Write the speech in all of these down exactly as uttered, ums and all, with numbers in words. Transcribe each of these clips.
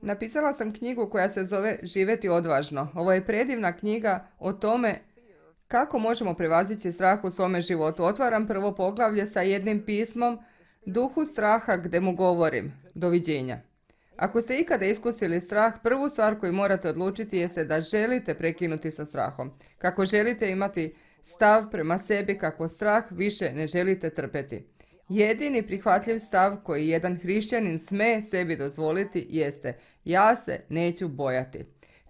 Napisala sam knjigu koja se zove Živjeti odvažno. Ovo je predivna knjiga o tome kako možemo prevazići strah u svome životu. Otvaram prvo poglavlje sa jednim pismom Duhu straha gdje mu govorim. Doviđenja. Ako ste ikada iskusili strah, prvu stvar koju morate odlučiti jeste da želite prekinuti sa strahom. Kako želite imati stav prema sebi kako strah više ne želite trpeti. Jedini prihvatljiv stav koji jedan hrišćanin sme sebi dozvoliti jeste: ja se neću bojati.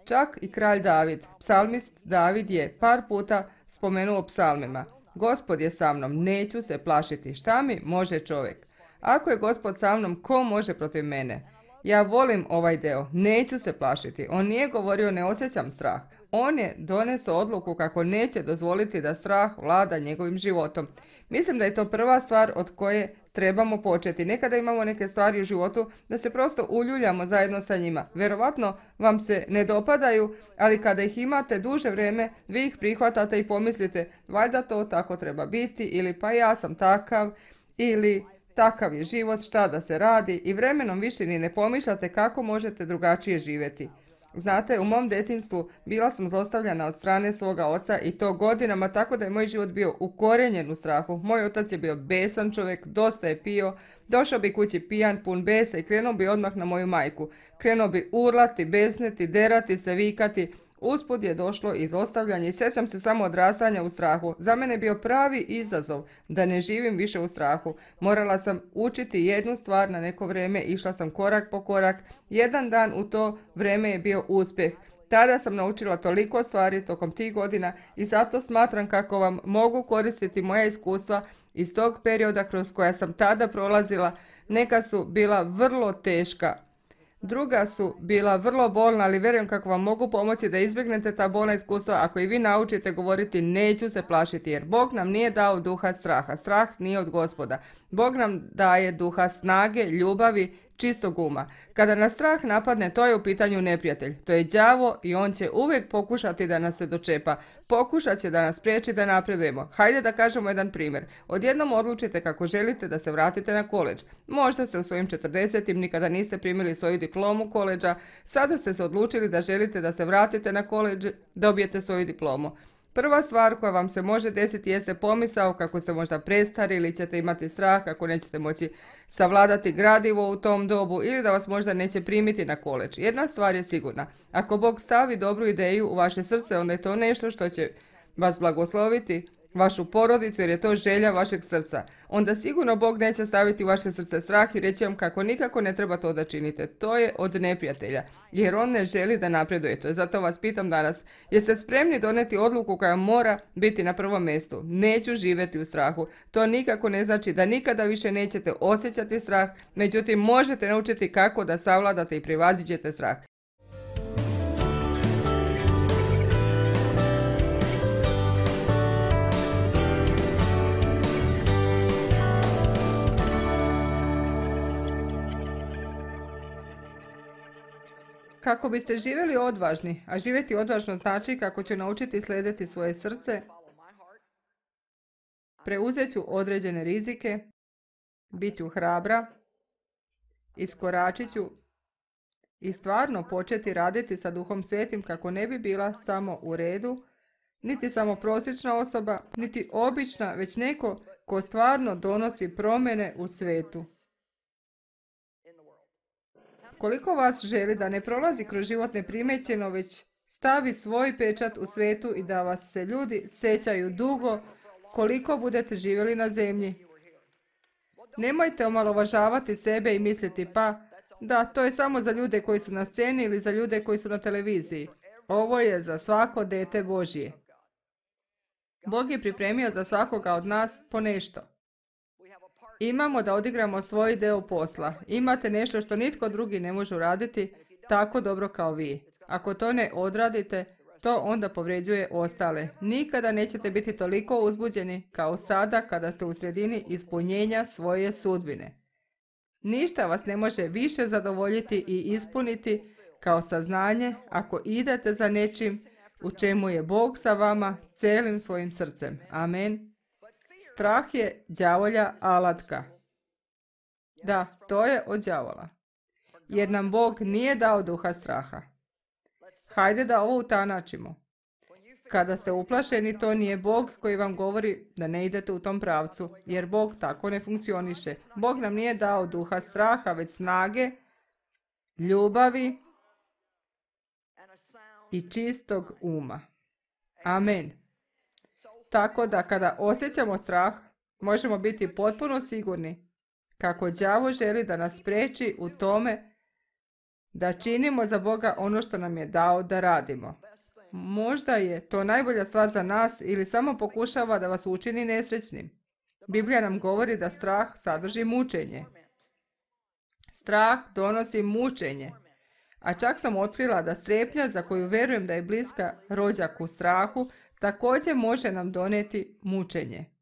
Čak i kralj David, psalmist David je par puta spomenuo psalmima: Gospod je sa mnom, neću se plašiti. Šta mi može čovjek? Ako je Gospod sa mnom, ko može protiv mene? Ja volim ovaj deo, neću se plašiti. On nije govorio ne osjećam strah. On je donesao odluku kako neće dozvoliti da strah vlada njegovim životom. Mislim da je to prva stvar od koje trebamo početi. Nekada imamo neke stvari u životu da se prosto uljuljamo zajedno sa njima. Vjerovatno vam se ne dopadaju, ali kada ih imate duže vrijeme, vi ih prihvatate i pomislite: valjda to tako treba biti, ili pa ja sam takav, ili takav je život, šta da se radi, i vremenom više ni ne pomišljate kako možete drugačije živjeti. Znate, u mom djetinjstvu bila sam zlostavljana od strane svoga oca i to godinama, tako da je moj život bio ukorenjen u strahu. Moj otac je bio besan čovjek, dosta je pio, došao bi kući pijan, pun besa i krenuo bi odmah na moju majku. Krenuo bi urlati, besniti, derati se, vikati. Usput je došlo i zlostavljanje i sjećam se samo odrastanja u strahu. Za mene je bio pravi izazov da ne živim više u strahu. Morala sam učiti jednu stvar na neko vrijeme, išla sam korak po korak. Jedan dan u to vrijeme je bio uspjeh. Tada sam naučila toliko stvari tokom tih godina i zato smatram kako vam mogu koristiti moja iskustva iz tog perioda kroz koja sam tada prolazila. Neka su bila vrlo teška. Druga su bila vrlo bolna, ali vjerujem kako vam mogu pomoći da izbjegnete ta bolna iskustva ako i vi naučite govoriti neću se plašiti, jer Bog nam nije dao duha straha. Strah nije od Gospoda. Bog nam daje duha snage, ljubavi, čistog uma. Kada nas strah napadne, to je u pitanju neprijatelj. To je đavo i on će uvijek pokušati da nas se dočepa. Pokušat će da nas priječi da napredujemo. Hajde da kažemo jedan primjer. Odjednom odlučite kako želite da se vratite na koledž. Možda ste u svojim četrdesetim nikada niste primili svoju diplomu koledža. Sada ste se odlučili da želite da se vratite na koledž, dobijete svoju diplomu. Prva stvar koja vam se može desiti jeste pomisao kako ste možda prestari ili ćete imati strah kako nećete moći savladati gradivo u tom dobu ili da vas možda neće primiti na koledž. Jedna stvar je sigurna. Ako Bog stavi dobru ideju u vaše srce, onda je to nešto što će vas blagosloviti, vašu porodicu, jer je to želja vašeg srca. Onda sigurno Bog neće staviti u vaše srce strah i reći vam kako nikako ne treba to da činite. To je od neprijatelja, jer on ne želi da napredujete. Zato vas pitam danas, jeste spremni doneti odluku koja mora biti na prvom mjestu? Neću živjeti u strahu. To nikako ne znači da nikada više nećete osjećati strah, međutim možete naučiti kako da savladate i prevaziđete strah. Kako biste živjeli odvažni, a živjeti odvažno znači kako ću naučiti slijediti svoje srce, preuzet ću određene rizike, bit ću hrabra, iskoračit ću i stvarno početi raditi sa Duhom Svetim kako ne bi bila samo u redu, niti samo prosječna osoba, niti obična, već neko ko stvarno donosi promjene u svetu. Koliko vas želi da ne prolazi kroz život neprimećeno, već stavi svoj pečat u svetu i da vas se ljudi sećaju dugo koliko budete živjeli na zemlji? Nemojte omalovažavati sebe i misliti pa da to je samo za ljude koji su na sceni ili za ljude koji su na televiziji. Ovo je za svako dete Božje. Bog je pripremio za svakoga od nas po nešto. Imamo da odigramo svoj deo posla. Imate nešto što nitko drugi ne može uraditi tako dobro kao vi. Ako to ne odradite, to onda povređuje ostale. Nikada nećete biti toliko uzbuđeni kao sada kada ste u sredini ispunjenja svoje sudbine. Ništa vas ne može više zadovoljiti i ispuniti kao saznanje ako idete za nečim u čemu je Bog sa vama celim svojim srcem. Amen. Strah je đavolja alatka. Da, to je od đavola. jer nam Bog nije dao duha straha. Hajde da ovo utanačimo. Kada ste uplašeni, to nije Bog koji vam govori da ne idete u tom pravcu, jer Bog tako ne funkcioniše. Bog nam nije dao duha straha, već snage, ljubavi i čistog uma. Amen. Tako da kada osjećamo strah, možemo biti potpuno sigurni kako đavo želi da nas spriječi u tome da činimo za Boga ono što nam je dao da radimo. Možda je to najbolja stvar za nas ili samo pokušava da vas učini nesrećnim. Biblija nam govori da strah sadrži mučenje. Strah donosi mučenje. A čak sam otkrila da strepnja za koju vjerujem da je bliska rođaku strahu, također može nam donijeti mučenje.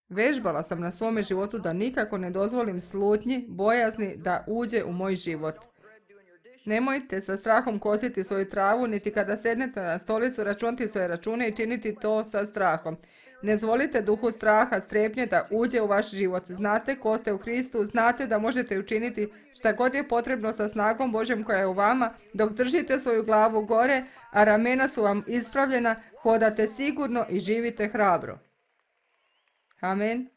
Vežbala sam na svome životu da nikako ne dozvolim slutnji, bojazni da uđe u moj život. Nemojte sa strahom kositi svoju travu, niti kada sednete na stolicu računati svoje račune i činiti to sa strahom. Ne zvolite duhu straha, strepnje da uđe u vaš život. Znate ko ste u Hristu, znate da možete učiniti šta god je potrebno sa snagom Božjom koja je u vama, dok držite svoju glavu gore, a ramena su vam ispravljena, hodate sigurno i živite hrabro. Amen.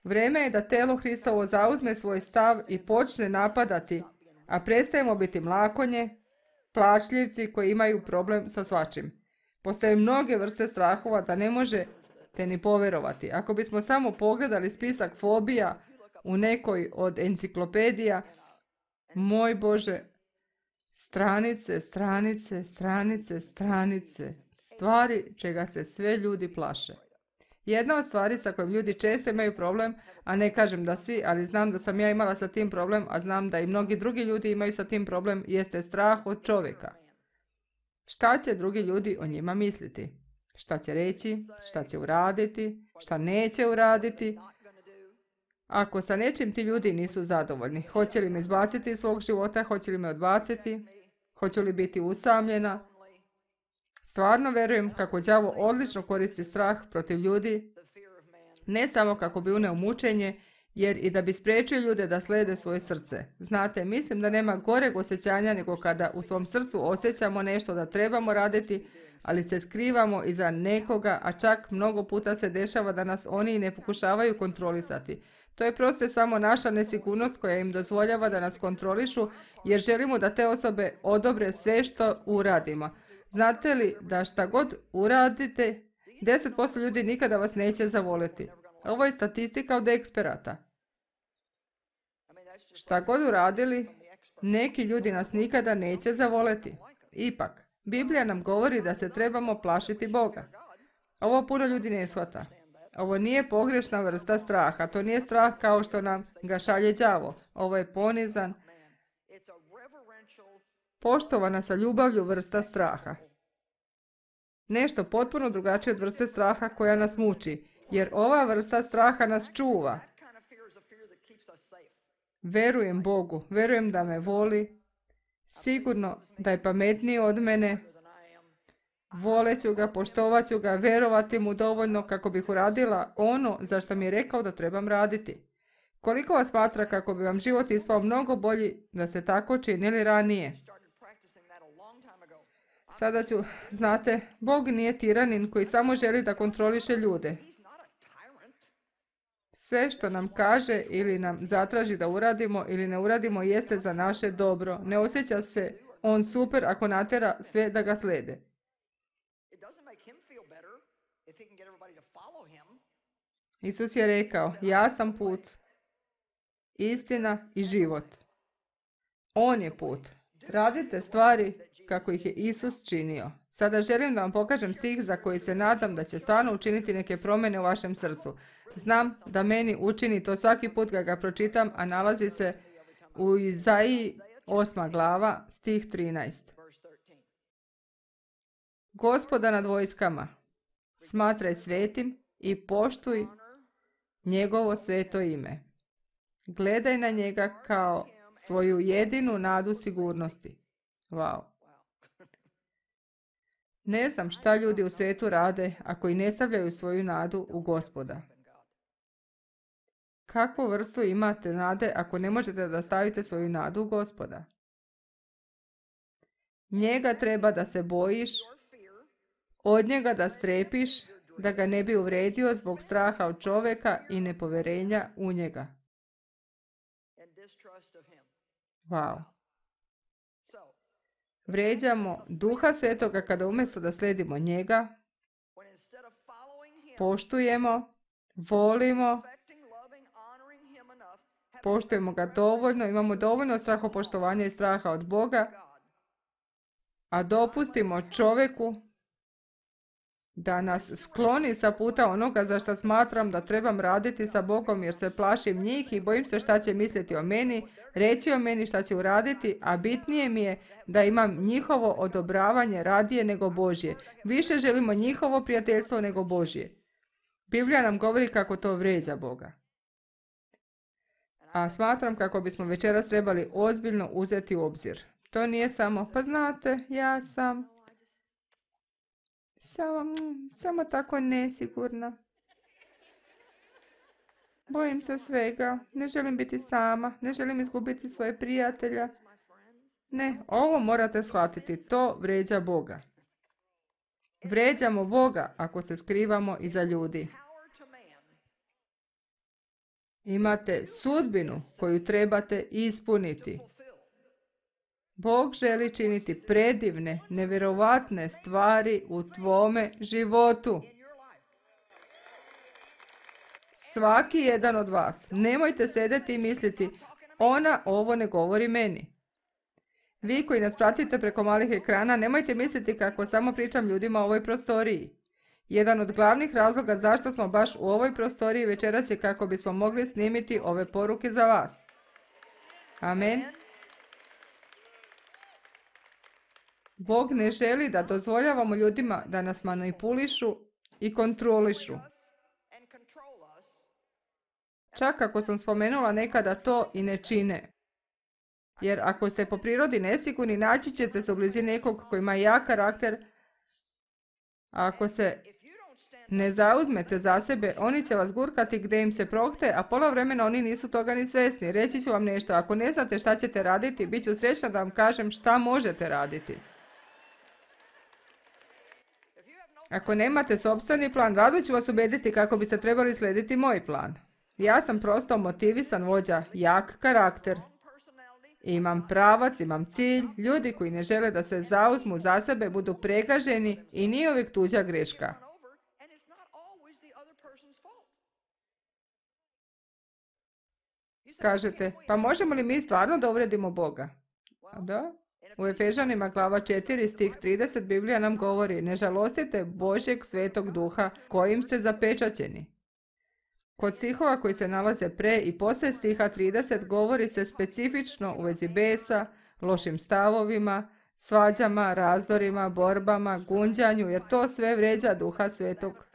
Vrijeme je da telo Hristovo zauzme svoj stav i počne napadati, a prestajemo biti mlakonje, plačljivci koji imaju problem sa svačim. Postoje mnoge vrste strahova da ne možete ni povjerovati. Ako bismo samo pogledali spisak fobija u nekoj od enciklopedija, moj Bože, stranice, stranice, stranice, stranice, stvari čega se sve ljudi plaše. Jedna od stvari sa kojim ljudi često imaju problem, a ne kažem da svi, ali znam da sam ja imala sa tim problem, a znam da i mnogi drugi ljudi imaju sa tim problem, jeste strah od čovjeka. Šta će drugi ljudi o njima misliti? Šta će reći? Šta će uraditi? Šta neće uraditi? Ako sa nečim ti ljudi nisu zadovoljni, hoće li me izbaciti iz svog života, hoće li me odbaciti, hoće li biti usamljena? Stvarno vjerujem kako đavo odlično koristi strah protiv ljudi, ne samo kako bi uneo mučenje, jer i da bi spriječio ljude da slijede svoje srce. Znate, mislim da nema goreg osjećanja nego kada u svom srcu osjećamo nešto da trebamo raditi, ali se skrivamo iza nekoga, a čak mnogo puta se dešava da nas oni ne pokušavaju kontrolisati. To je prosto samo naša nesigurnost koja im dozvoljava da nas kontrolišu, jer želimo da te osobe odobre sve što uradimo. Znate li da šta god uradite, deset posto ljudi nikada vas neće zavoliti. Ovo je statistika od eksperata. Šta god uradili, neki ljudi nas nikada neće zavoliti. Ipak, Biblija nam govori da se trebamo plašiti Boga. Ovo puno ljudi ne shvata. Ovo nije pogrešna vrsta straha. To nije strah kao što nam ga šalje đavo. Ovo je ponizan, poštovana sa ljubavlju vrsta straha. Nešto potpuno drugačije od vrste straha koja nas muči, jer ova vrsta straha nas čuva. Verujem Bogu, verujem da me voli, sigurno da je pametniji od mene, voleću ga, poštovaću ga, verovati mu dovoljno kako bih uradila ono za što mi je rekao da trebam raditi. Koliko vas smatra kako bi vam život ispao mnogo bolji da ste tako činili ranije? Sada ću, znate, Bog nije tiranin koji samo želi da kontroliše ljude. Sve što nam kaže ili nam zatraži da uradimo ili ne uradimo jeste za naše dobro. Ne osjeća se on super ako natjera sve da ga slijede. Isus je rekao, ja sam put, istina i život. On je put. Radite stvari kako ih je Isus činio. Sada želim da vam pokažem stih za koji se nadam da će stvarno učiniti neke promjene u vašem srcu. Znam da meni učini to svaki put kad ga pročitam, a nalazi se u Izaiji osma glava, stih trinaest. Gospoda nad vojskama, smatraj svetim i poštuj njegovo sveto ime. Gledaj na njega kao svoju jedinu nadu sigurnosti. Wow. Ne znam šta ljudi u svijetu rade ako i ne stavljaju svoju nadu u Gospoda. kakvu vrstu imate nade ako ne možete da stavite svoju nadu u Gospoda? Njega treba da se bojiš, od njega da strepiš, da ga ne bi uvredio zbog straha od čovjeka i nepoverenja u njega. Wow. Vređamo Duha Svetoga kada umjesto da slijedimo njega, poštujemo, volimo, poštujemo ga dovoljno, imamo dovoljno strahopoštovanja i straha od Boga, a dopustimo čovjeku da nas skloni sa puta onoga za što smatram da trebam raditi sa Bogom jer se plašim njih i bojim se šta će misliti o meni, reći o meni šta će uraditi, a bitnije mi je da imam njihovo odobravanje radije nego Božje. Više želimo njihovo prijateljstvo nego Božje. Biblija nam govori kako to vrijeđa Boga. A smatram kako bismo večeras trebali ozbiljno uzeti u obzir. To nije samo, pa znate, ja sam samo, samo tako nesigurna. Bojim se svega, ne želim biti sama, ne želim izgubiti svoje prijatelja. Ne, ovo morate shvatiti, to vrijeđa Boga. Vrijeđamo Boga ako se skrivamo iza ljudi. Imate sudbinu koju trebate ispuniti. Bog želi činiti predivne, nevjerovatne stvari u tvome životu. Svaki jedan od vas. Nemojte sedeti i misliti, ona ovo ne govori meni. Vi koji nas pratite preko malih ekrana, nemojte misliti kako samo pričam ljudima o ovoj prostoriji. Jedan od glavnih razloga zašto smo baš u ovoj prostoriji večeras je kako bismo mogli snimiti ove poruke za vas. Amen. Bog ne želi da dozvoljavamo ljudima da nas manipulišu i kontrolišu. Čak ako sam spomenula nekada to i ne čine. Jer ako ste po prirodi nesigurni, naći ćete se u blizini nekog koji ima jak karakter. A ako se ne zauzmete za sebe, oni će vas gurkati gdje im se prohte, a pola vremena oni nisu toga ni svjesni. Reći ću vam nešto, ako ne znate šta ćete raditi, bit ću srećna da vam kažem šta možete raditi. Ako nemate sopstveni plan, rado ću vas ubediti kako biste trebali slijediti moj plan. Ja sam prosto motivisan vođa, jak karakter. Imam pravac, imam cilj, ljudi koji ne žele da se zauzmu za sebe budu pregaženi i nije uvijek tuđa greška. Kažete, pa možemo li mi stvarno da uvredimo Boga? A da? U Efežanima glava četiri stih trideset Biblija nam govori, ne žalostite Božjeg svetog duha kojim ste zapečaćeni. Kod stihova koji se nalaze pre i poslije stiha trideset govori se specifično u vezi besa, lošim stavovima, svađama, razdorima, borbama, gunđanju, jer to sve vrijeđa duha svetog.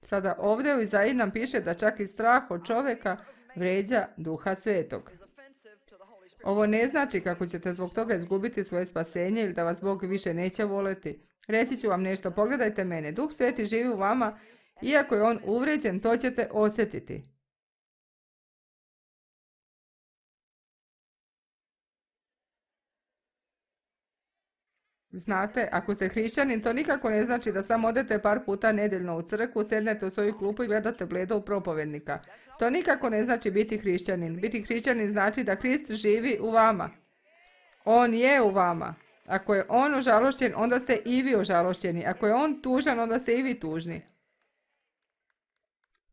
Sada ovdje u Izaiji nam piše da čak i strah od čovjeka vrijeđa duha svetog. Ovo ne znači kako ćete zbog toga izgubiti svoje spasenje ili da vas Bog više neće voleti. Reći ću vam nešto, pogledajte mene, Duh Sveti živi u vama, iako je on uvrijeđen, to ćete osjetiti. Znate, ako ste hrišćanin, to nikako ne znači da samo odete par puta nedeljno u crkvu, sednete u svoju klupu i gledate bledo u propovednika. To nikako ne znači biti hrišćanin. Biti hrišćanin znači da Krist živi u vama. On je u vama. Ako je on ožalošćen, onda ste i vi ožalošćeni. Ako je on tužan, onda ste i vi tužni.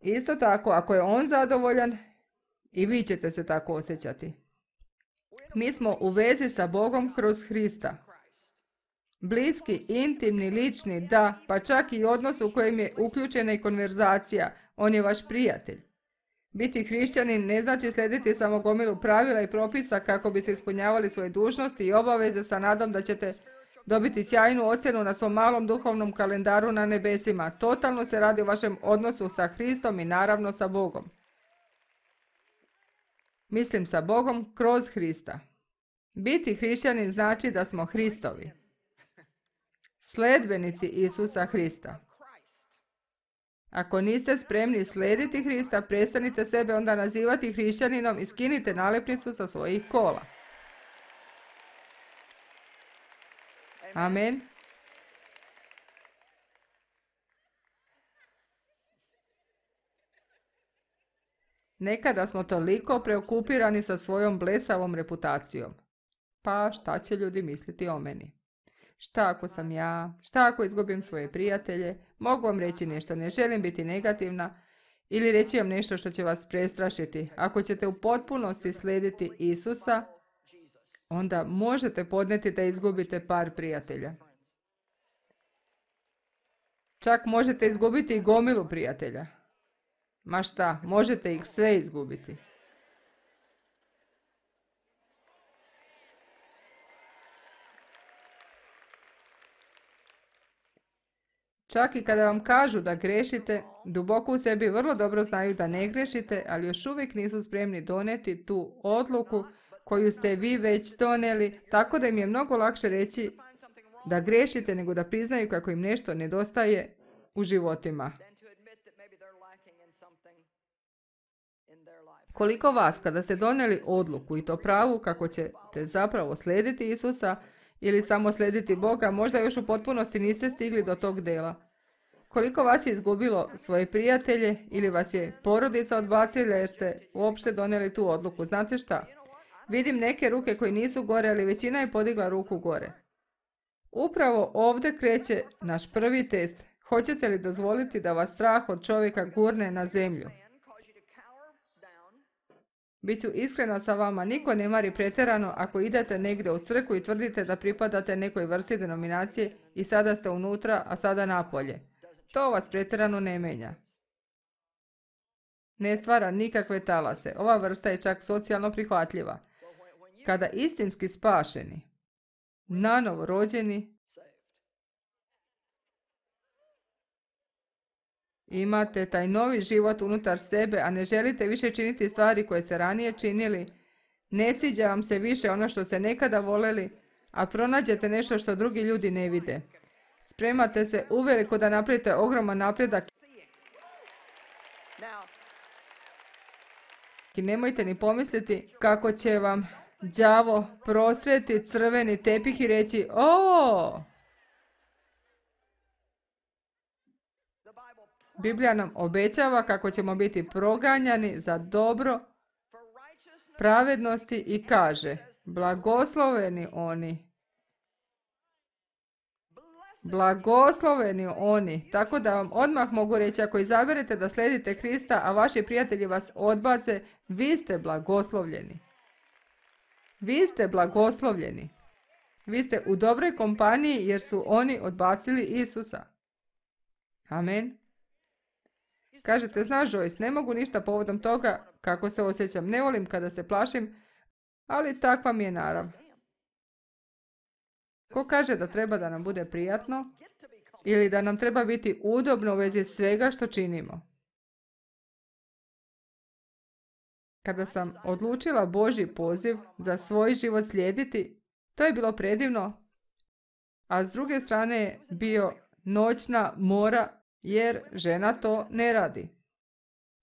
Isto tako, ako je on zadovoljan, i vi ćete se tako osjećati. Mi smo u vezi sa Bogom kroz Hrista. Bliski, intimni, lični, da, pa čak i odnos u kojem je uključena i konverzacija. On je vaš prijatelj. Biti hrišćanin ne znači slijediti samo gomilu pravila i propisa kako biste ispunjavali svoje dužnosti i obaveze sa nadom da ćete dobiti sjajnu ocjenu na svom malom duhovnom kalendaru na nebesima. Totalno se radi o vašem odnosu sa Hristom i naravno sa Bogom. Mislim sa Bogom kroz Hrista. Biti hrišćanin znači da smo Hristovi. Sledbenici Isusa Hrista. Ako niste spremni slijediti Hrista, prestanite sebe onda nazivati hrišćaninom i skinite nalepnicu sa svojih kola. Amen. Nekada smo toliko preokupirani sa svojom blesavom reputacijom. Pa šta će ljudi misliti o meni? Šta ako sam ja? Šta ako izgubim svoje prijatelje? Mogu vam reći nešto, ne želim biti negativna ili reći vam nešto što će vas prestrašiti. Ako ćete u potpunosti slijediti Isusa, onda možete podnijeti da izgubite par prijatelja. Čak možete izgubiti i gomilu prijatelja. Ma šta, možete ih sve izgubiti. Čak i kada vam kažu da grešite, duboko u sebi vrlo dobro znaju da ne grešite, ali još uvijek nisu spremni donijeti tu odluku koju ste vi već donijeli, tako da im je mnogo lakše reći da grešite nego da priznaju kako im nešto nedostaje u životima. Koliko vas, kada ste donijeli odluku i to pravu kako ćete zapravo slijediti Isusa ili samo slijediti Boga, možda još u potpunosti niste stigli do tog dela. Koliko vas je izgubilo svoje prijatelje ili vas je porodica odbacila jer ste uopšte donijeli tu odluku. Znate šta? Vidim neke ruke koje nisu gore, ali većina je podigla ruku gore. Upravo ovdje kreće naš prvi test. Hoćete li dozvoliti da vas strah od čovjeka gurne na zemlju? Biću iskrena sa vama, niko ne mari pretjerano ako idete negdje u crkvu i tvrdite da pripadate nekoj vrsti denominacije i sada ste unutra, a sada napolje. To vas pretjerano ne menja. Ne stvara nikakve talase. Ova vrsta je čak socijalno prihvatljiva. Kada istinski spašeni, nanovo rođeni, imate taj novi život unutar sebe, a ne želite više činiti stvari koje ste ranije činili, ne sviđa vam se više ono što ste nekada voljeli, a pronađete nešto što drugi ljudi ne vide. Spremate se uveliko da napravite ogroman napredak i nemojte ni pomisliti kako će vam đavo prostreti crveni tepih i reći: o! Biblija nam obećava kako ćemo biti proganjani za dobro pravednosti i kaže: blagosloveni oni. Blagosloveni oni. Tako da vam odmah mogu reći, ako izaberete da slijedite Krista, a vaši prijatelji vas odbace, vi ste blagoslovljeni. Vi ste blagoslovljeni. Vi ste u dobroj kompaniji jer su oni odbacili Isusa. Amen. Kažete: znaš Joyce, ne mogu ništa povodom toga kako se osjećam. Ne volim kada se plašim, ali takva mi je narav. Ko kaže da treba da nam bude prijatno ili da nam treba biti udobno u vezi svega što činimo? Kada sam odlučila Božji poziv za svoj život slijediti, to je bilo predivno, a s druge strane je bio noćna mora jer žena to ne radi.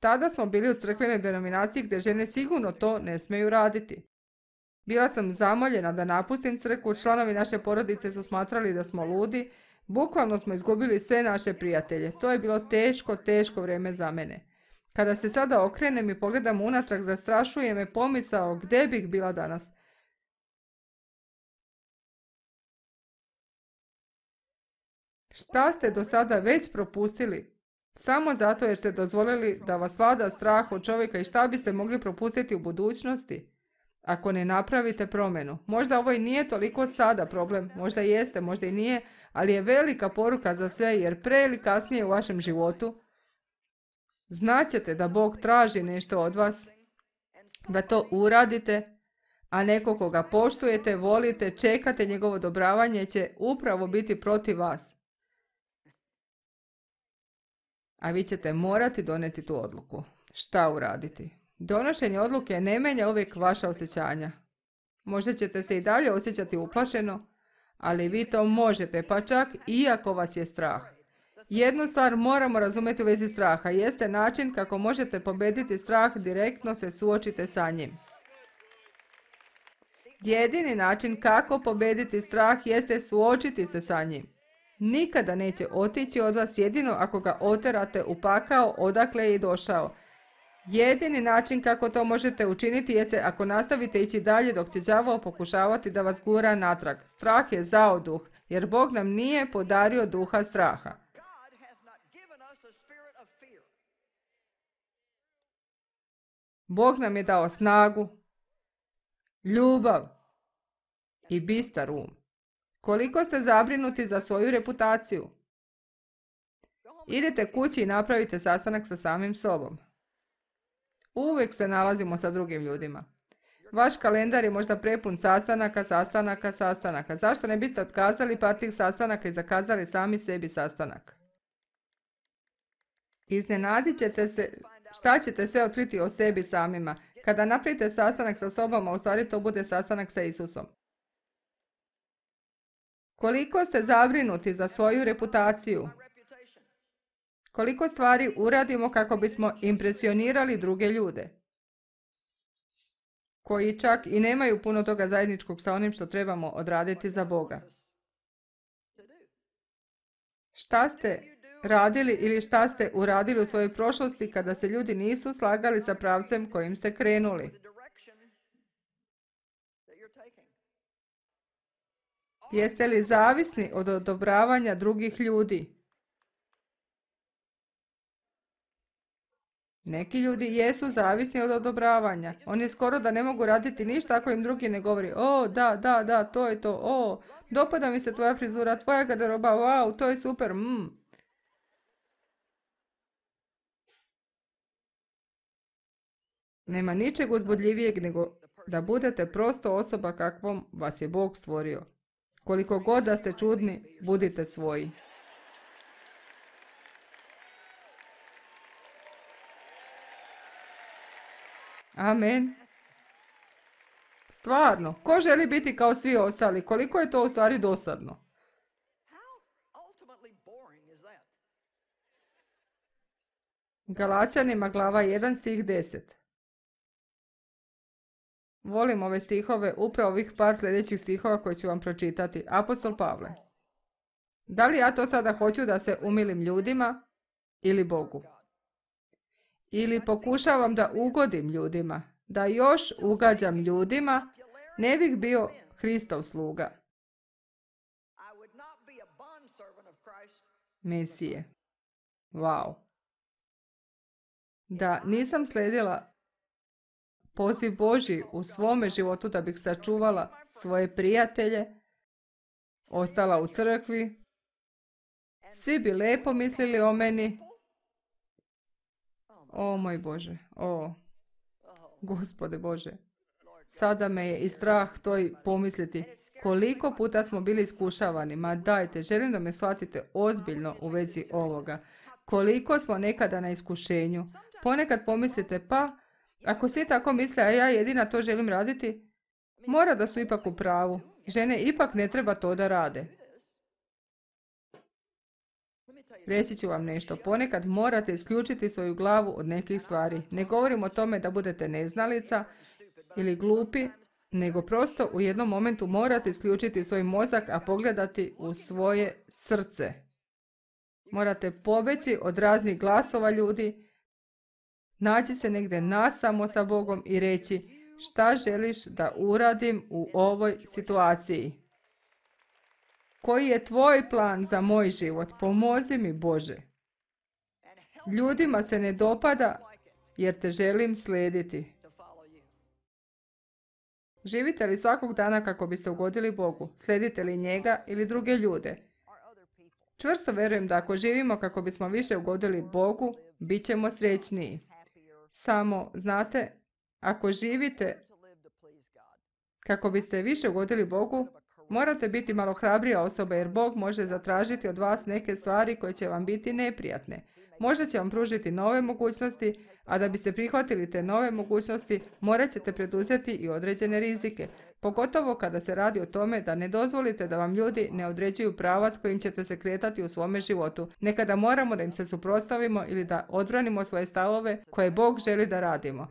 Tada smo bili u crkvenoj denominaciji gdje žene sigurno to ne smiju raditi. Bila sam zamoljena da napustim crkvu, članovi naše porodice su smatrali da smo ludi, bukvalno smo izgubili sve naše prijatelje. To je bilo teško, teško vrijeme za mene. Kada se sada okrenem i pogledam unatrag, zastrašuje me pomisao gdje bih bila danas. Šta ste do sada već propustili? Samo zato jer ste dozvolili da vas vlada strah od čovjeka, i šta biste mogli propustiti u budućnosti ako ne napravite promjenu. Možda ovo i nije toliko sada problem, možda jeste, možda i nije, ali je velika poruka za sve, jer pre ili kasnije u vašem životu znaćete da Bog traži nešto od vas, da to uradite, a neko koga poštujete, volite, čekate njegovo odobravanje će upravo biti protiv vas. A vi ćete morati donijeti tu odluku. Šta uraditi? Donošenje odluke ne menja uvijek vaša osjećanja. Možda ćete se i dalje osjećati uplašeno, ali vi to možete, pa čak iako vas je strah. Jednu stvar moramo razumjeti u vezi straha. Jeste način kako možete pobediti strah, direktno se suočite sa njim. Jedini način kako pobediti strah jeste suočiti se sa njim. Nikada neće otići od vas jedino ako ga oterate u pakao odakle je i došao. Jedini način kako to možete učiniti jeste ako nastavite ići dalje dok će đavao pokušavati da vas gura natrag. Strah je zao duh, jer Bog nam nije podario duha straha. Bog nam je dao snagu, ljubav i bistar um. Koliko ste zabrinuti za svoju reputaciju? Idete kući i napravite sastanak sa samim sobom. Uvijek se nalazimo sa drugim ljudima. Vaš kalendar je možda prepun sastanaka, sastanaka, sastanaka. Zašto ne biste otkazali par tih sastanaka i zakazali sami sebi sastanak? Iznenadit ćete se šta ćete sve otkriti o sebi samima. Kada napravite sastanak sa sobom, a u stvari to bude sastanak sa Isusom. Koliko ste zabrinuti za svoju reputaciju? Koliko stvari uradimo kako bismo impresionirali druge ljude, koji čak i nemaju puno toga zajedničkog sa onim što trebamo odraditi za Boga? Šta ste radili ili šta ste uradili u svojoj prošlosti kada se ljudi nisu slagali sa pravcem kojim ste krenuli? Jeste li zavisni od odobravanja drugih ljudi? Neki ljudi jesu zavisni od odobravanja. Oni skoro da ne mogu raditi ništa ako im drugi ne govori: o, da, da, da, to je to, o, dopada mi se tvoja frizura, tvoja garderoba, wow, to je super, mm. Nema ničeg uzbudljivijeg nego da budete prosto osoba kakvom vas je Bog stvorio. Koliko god da ste čudni, budite svoji. Amen. Stvarno, ko želi biti kao svi ostali? Koliko je to u stvari dosadno? Galačanima glava jedan stih deset. Volim ove stihove, upravo ovih par sljedećih stihova koje ću vam pročitati. Apostol Pavle. Da li ja to sada hoću da se umilim ljudima ili Bogu? Ili pokušavam da ugodim ljudima, da još ugađam ljudima, ne bih bio Hristov sluga. Mesije. Wow. Da nisam slijedila poziv Božji u svome životu da bih sačuvala svoje prijatelje, ostala u crkvi, svi bi lepo mislili o meni. O moj Bože, o, Gospode Bože, sada me je i strah to i pomisliti. Koliko puta smo bili iskušavani, ma dajte, želim da me shvatite ozbiljno u vezi ovoga. Koliko smo nekada na iskušenju. Ponekad pomislite, pa, ako svi tako misle, a ja jedina to želim raditi, mora da su ipak u pravu. Žene ipak ne treba to da rade. Reći ću vam nešto. Ponekad morate isključiti svoju glavu od nekih stvari. Ne govorim o tome da budete neznalica ili glupi, nego prosto u jednom momentu morate isključiti svoj mozak, a pogledati u svoje srce. Morate pobeći od raznih glasova ljudi, naći se negdje nasamo sa Bogom i reći: šta želiš da uradim u ovoj situaciji? Koji je tvoj plan za moj život? Pomozi mi, Bože. Ljudima se ne dopada jer te želim slijediti. Živite li svakog dana kako biste ugodili Bogu? Slijedite li njega ili druge ljude? Čvrsto vjerujem da ako živimo kako bismo više ugodili Bogu, bit ćemo srećniji. Samo, znate, ako živite kako biste više ugodili Bogu, morate biti malo hrabrija osoba, jer Bog može zatražiti od vas neke stvari koje će vam biti neprijatne. Možda će vam pružiti nove mogućnosti, a da biste prihvatili te nove mogućnosti, morat ćete preduzeti i određene rizike. Pogotovo kada se radi o tome da ne dozvolite da vam ljudi ne određuju pravac kojim ćete se kretati u svome životu. Nekada moramo da im se suprotstavimo ili da odbranimo svoje stavove koje Bog želi da radimo.